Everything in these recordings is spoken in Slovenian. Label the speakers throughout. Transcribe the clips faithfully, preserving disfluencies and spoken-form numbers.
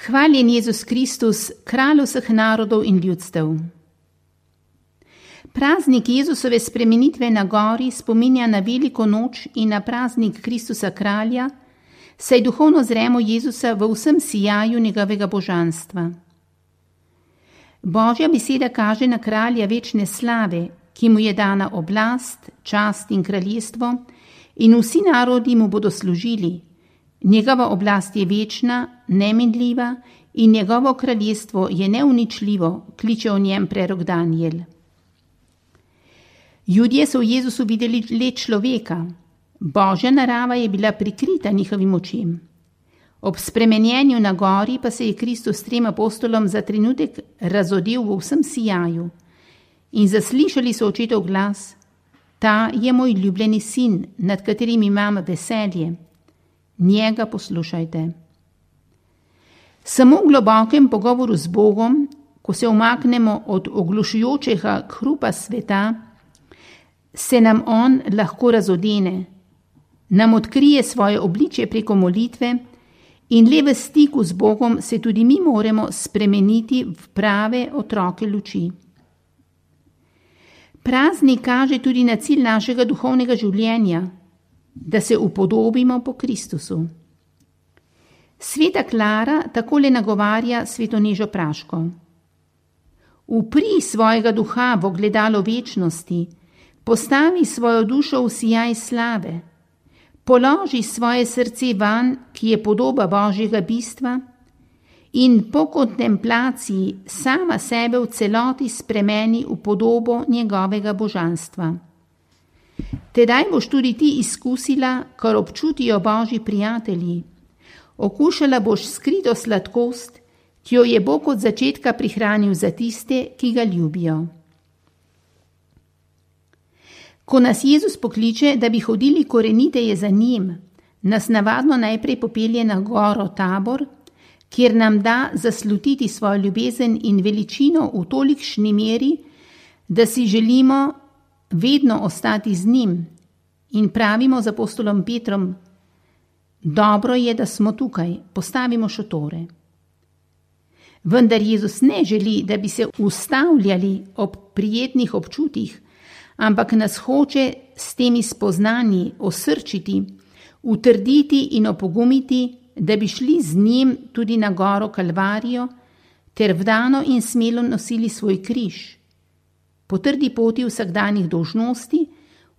Speaker 1: Hvaljen Jezus Kristus, kralj vseh narodov in ljudstev. Praznik Jezusove spremenitve na gori spominja na veliko noč in na praznik Kristusa kralja, saj duhovno zremo Jezusa v vsem sijaju njegovega božanstva. Božja beseda kaže na kralja večne slave, ki mu je dana oblast, čast in kraljestvo, in vsi narodi mu bodo služili. Njegova oblast je večna, neminljiva in njegovo kraljestvo je neuničljivo, kliče o njem prerok Danijel. Judje so v Jezusu videli le človeka. Božja narava je bila prikrita njihovim očem. Ob spremenjenju na gori pa se je Kristus trem apostolom za trenutek razodel v vsem sijaju in zaslišali so očetov glas: Ta je moj ljubljeni sin, nad katerim imam veselje. Njega poslušajte. Samo v globokem pogovoru z Bogom, ko se umaknemo od oglušujočega hrupa sveta, se nam on lahko razodene, nam odkrije svoje obličje preko molitve in le v stiku z Bogom se tudi mi moremo spremeniti v prave otroke luči. Praznik kaže tudi na cilj našega duhovnega življenja, da se upodobimo po Kristusu. Sveta Klara takole nagovarja svetonežo Praško. Upri svojega duha v ogledalo večnosti, postavi svojo dušo v sijaj slave, položi svoje srce van, ki je podoba Božjega bistva, in po kontemplaciji sama sebe v celoti spremeni v podobo njegovega božanstva. Tedaj boš tudi ti izkusila, kar občutijo Božji prijatelji. Okušala boš skrito sladkost, ki jo je Bog od začetka prihranil za tiste, ki ga ljubijo. Ko nas Jezus pokliče, da bi hodili koreniteje za njim, nas navadno najprej popelje na goro Tabor, kjer nam da zaslutiti svojo ljubezen in veličino v tolikšni meri, da si želimo vedno ostati z njim in pravimo z apostolom Petrom: Dobro je, da smo tukaj, postavimo šotore. Vendar Jezus ne želi, da bi se ustavljali ob prijetnih občutih, ampak nas hoče s temi spoznanji osrčiti, utrditi in opogumiti, da bi šli z njim tudi na goro Kalvarijo, ter vdano in smelo nosili svoj križ, po trdi poti vsakdanjih dolžnosti,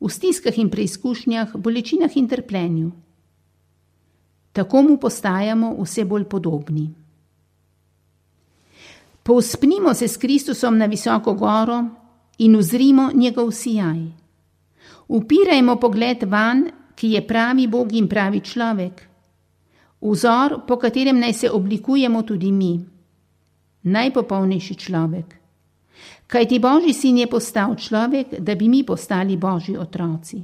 Speaker 1: v stiskah in preizkušnjah, bolečinah in trpljenju. Tako mu postajamo vse bolj podobni. Povzpnimo se s Kristusom na visoko goro in uzrimo njegov sijaj. Upirajmo pogled van, ki je pravi Bog in pravi človek. Vzor, po katerem naj se oblikujemo tudi mi. Najpopolnejši človek. Kajti Božji sin je postal človek, da bi mi postali Božji otroci.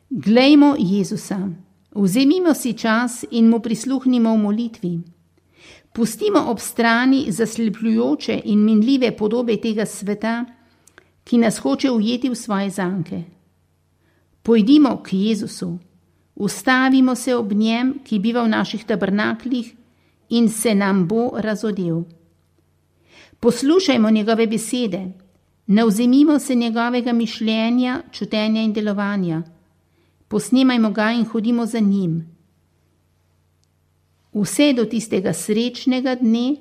Speaker 1: Glejmo Jezusa. Vzemimo si čas in mu prisluhnimo v molitvi. Pustimo ob strani zaslepljujoče in minljive podobe tega sveta, ki nas hoče ujeti v svoje zanke. Pojdimo k Jezusu, ustavimo se ob njem, ki biva v naših tabernaklih, in se nam bo razodel. Poslušajmo njegove besede, navzemimo se njegovega mišljenja, čutenja in delovanja. Posnemajmo ga in hodimo za njim. Vse do tistega srečnega dne,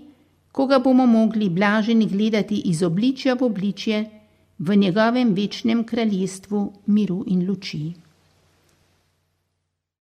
Speaker 1: ko ga bomo mogli blaženi gledati iz obličja v obličje v njegovem večnem kraljestvu miru in luči.